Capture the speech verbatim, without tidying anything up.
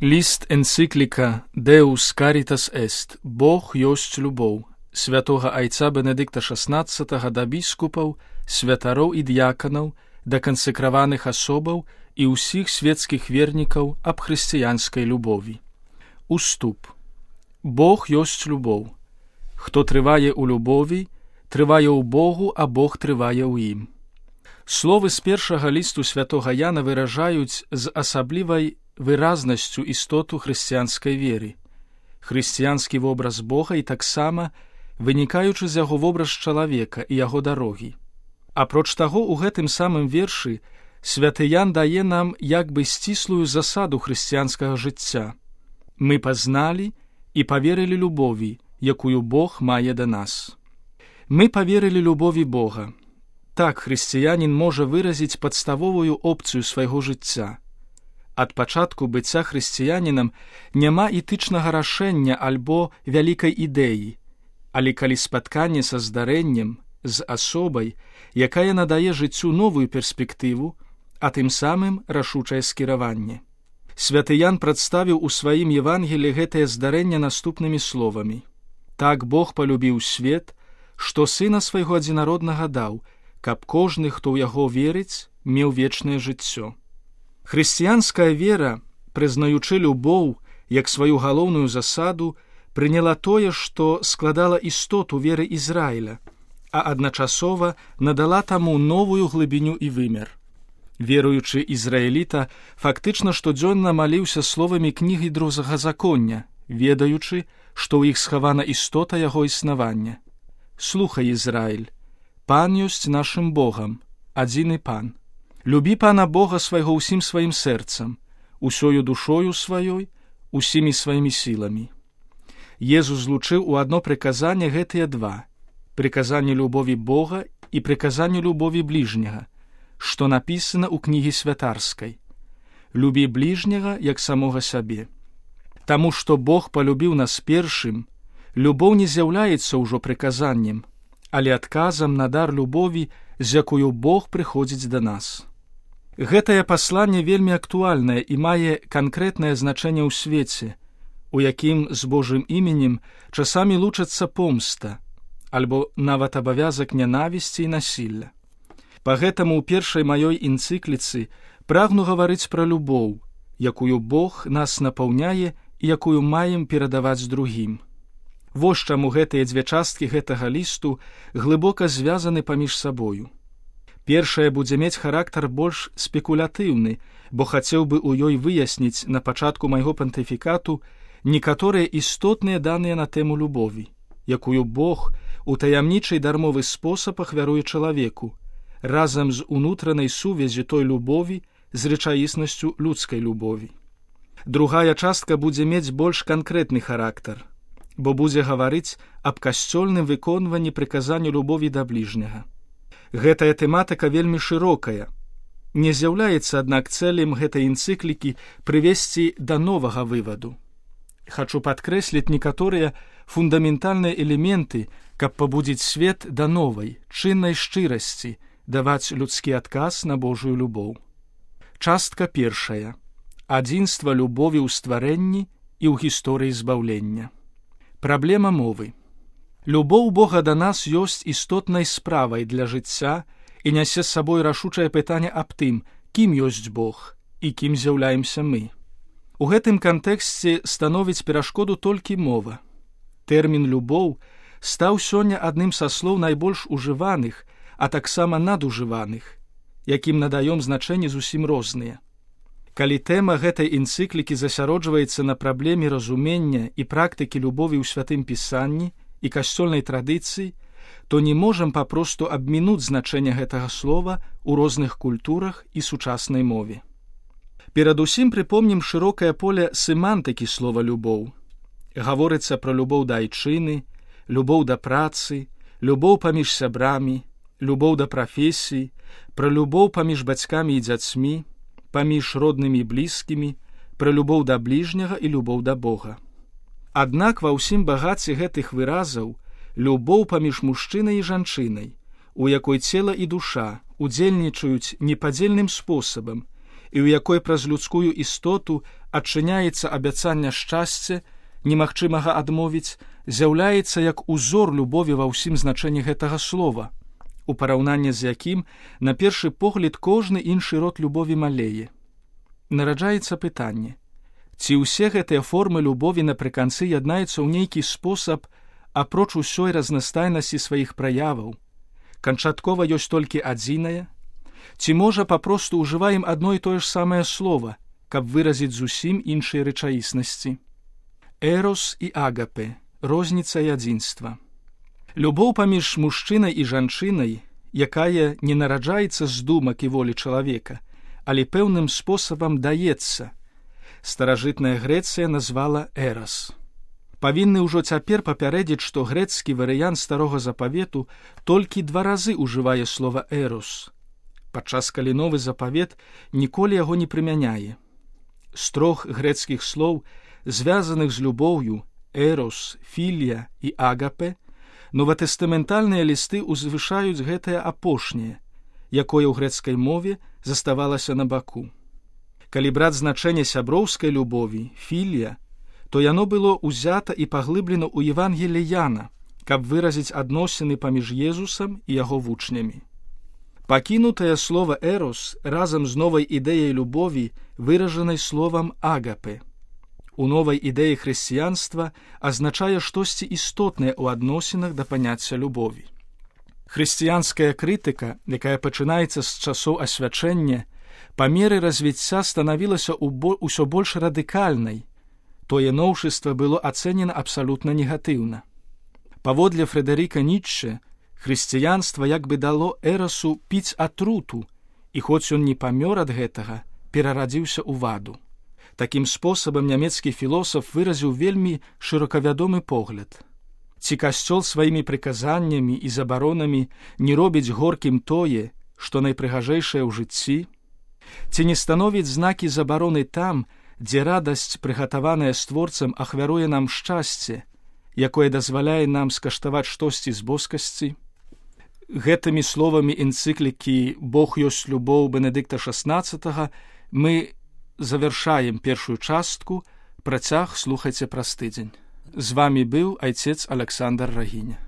Ліст энцыкліка «Deus Caritas Est» – «Бог ёсць любоў» святога айца Бенедыкта шаснаццатага да біскупаў, святароў і д'яканаў, да кансекраваных асобаў і ўсіх светскіх вернікаў аб хрысціянскай любові. Уступ. Бог ёсць любоў. Хто трывае ў любові, трывае ў Богу, а Бог трывае ў ім. Словы з першага лісту святога Яна выражаюць з асаблівай выразнасцю істоту хрысціянскай веры, хрысціянскі вобраз Бога і таксама вынікаючы з яго вобраз чалавека і яго дарогі. Апроч таго, у гэтым самым вершы святы Ян дае нам як бы сціслую засаду хрысціянскага жыцця. Мы пазналі і паверылі любові, якую Бог мае да нас. Мы паверылі любові Бога. Так хрысціянін можа выразіць падставовую опцыю свайго жыцця. Ад пачатку быцця хрысціянінам няма этычнага рашэння альбо вялікай ідэі, але калі спатканне са здарэннем, з асобай, якая надае жыццю новую перспектыву, а тым самым рашучае скіраванне. Святы Ян прадставіў у сваім Евангелі гэтае здарэнне наступнымі словамі: «Так Бог палюбіў свет, што Сына свайго адзінароднага даў, каб кожны, хто ў яго верыць, меў вечнае жыццё». Хрысціянская вера, прызнаючы любоў як сваю галоўную засаду, прыняла тое, што складала істоту веры Ізраіля, а адначасова надала таму новую глыбіню і вымер. Веруючы ізраіліта фактычна штодзённа маліўся словамі кнігі Другазаконня, ведаючы, што ў іх схавана істота яго існавання. «Слухай, Ізраіль, Пан ёсць нашым Богам, адзіны Пан. Любі Пана Бога свайго ўсім сваім сэрцам, усёю душою сваёй, усімі сваімі сіламі». Езус злучыў у адно прыказанне гэтыя два – прыказанне любові Бога і прыказанне любові бліжняга, што напісана ў кнігі святарскай. «Любі бліжняга, як самога сябе». Таму што Бог палюбіў нас першым, любоў не з'яўляецца ўжо прыказаннем, але адказам на дар любові, з якую Бог прыходзіць да нас. Гэтае пасланне вельмі актуальнае і мае канкрэтнае значэнне ў свеце, у якім з Божым іменем часамі лучацца помста, альбо нават абавязак нянавісці і насілля. Пагэтаму ў першай маёй энцыкліцы прагну гаварыць пра любоў, якую Бог нас напаўняе і якую маем перадаваць другім. Вось чаму гэтыя дзве часткі гэтага лісту глыбока звязаны паміж сабою. Першая будзе мець характар больш спекулятыўны, бо хацеў бы ў ёй выясніць на пачатку майго пантыфікату некаторыя істотныя даныя на тэму любові, якую Бог у таямнічай дармовы спосаб ахвяруе чалавеку, разам з унутранай сувяззю той любові з рэчаіснасцю людскай любові. Другая частка будзе мець больш канкрэтны характар, бо будзе гаварыць аб касцёльным выконванні прыказання любові да бліжняга. Гэтая тэматыка вельмі шырокая. Не з'яўляецца, аднак, цэлем гэтай энцыклікі прывесці да новага вываду. Хачу падкрэсліць некаторыя фундаментальныя элементы, каб пабудзіць свет да новай, чыннай шчырасці, даваць людскі адказ на Божую любоў. Частка першая. Адзінства любові ў стварэнні і ў гісторыі збаўлення. Праблема мовы. Любоў Бога да нас ёсць істотнай справай для жыцця і нясе з сабой рашучае пытанне аб тым, кім ёсць Бог і кім з'яўляемся мы. У гэтым кантэксце становіць перашкоду толькі мова. Тэрмін «любоў» стаў сёння адным са слоў найбольш ужываных, а таксама надужываных, якім надаём значэнні зусім розныя. Калі тэма гэтай энцыклікі засяроджваецца на праблеме разумення і практыкі любові ў святым пісанні і касцёльнай традыцыі, то не можам папросту абмінуць значэнне гэтага слова ў розных культурах і сучаснай мове. Перадусім прыпомнім шырокае поле семантыкі слова «любоў». Гаворыцца пра любоў да айчыны, любоў да працы, любоў паміж сябрамі, любоў да прафесіі, пра любоў паміж бацькамі і дзяцьмі, паміж роднымі і блізкімі, пра любоў да бліжняга і любоў да Бога. Аднак ва ўсім багаце гэтых выразаў любоў паміж мужчынай і жанчынай, у якой цела і душа удзельнічаюць непадзельным спосабам і ў якой праз людскую істоту адчыняецца абяцанне шчасця, немагчымага адмовіць, з'яўляецца як узор любові ва ўсім значэнні гэтага слова, у параўнанні з якім, на першы погляд, кожны іншы род любові малее. Нараджаецца пытанне, ці ўсе гэтыя формы любові напрыканцы яднаюцца ў нейкі спосаб, апроч усёй разнастайнасці сваіх праяваў, канчаткова ёсць толькі адзінае, ці можа папросту ўжываем адно і тое ж самае слова, каб выразіць зусім іншыя рэчаіснасці. Эрос і агапе, розніца і адзінства. Любоў паміж мужчынай і жанчынай, якая не нараджаецца з думак і волі чалавека, але пэўным спосабам даецца, старажытная Грэцыя назвала эрос. Павінны ўжо цяпер папярэдзіць, што грэцкі варыянт старога запавету толькі два разы ўжывае слова эрос, падчас калі новы запавет ніколі яго не прымяняе. З трох грэцкіх слоў, звязаных з любоўю, эрос, філія і агапе, новатэстаментальныя лісты узвышаюць гэтае апошняе, якое ў грэцкай мове заставалася на баку. Калі браць значэнне сяброўскай любові, філія, то яно было ўзята і паглыблена ў Евангеліі Яна, каб выразіць адносіны паміж Езусам і яго вучнямі. Пакінутае слова эрос разам з новай ідэяй любові, выражанай словам агапе, у новай ідэі хрысціянства азначае штосьці істотнае ў адносінах да паняцця любові. Хрысціянская крытыка, якая пачынаецца з часоў асвячэння, па меры развіцця станавілася ўсё больш радыкальнай. Тое новшыства было ацэнена абсалютна негатыўна. Паводле Фрэдэрыка Ніцшэ, хрысціянства як бы дало эрасу піць атруту, і хоць ён не памёр ад гэтага, перарадзіўся ў ваду. Такім спосабам нямецкі філосаф выразіў вельмі шырокавядомы погляд. Ці касцёл сваімі прыказаннямі і забаронамі не робіць горкім тое, што найпрыгажэйшае ў жыцці? Ці не становіць знакі забароны там, дзе радасць, прыгатаваная створцам, ахвяруе нам шчасце, якое дазваляе нам скаштаваць штосьці з боскасці? Гэтымі словамі энцыклікі «Бог ёсць любоў» Бенедыкта шаснаццатага мы завяршаем першую частку, працяг слухайце праз тыдзень. З вамі быў айцец Аляксандр Рагіня.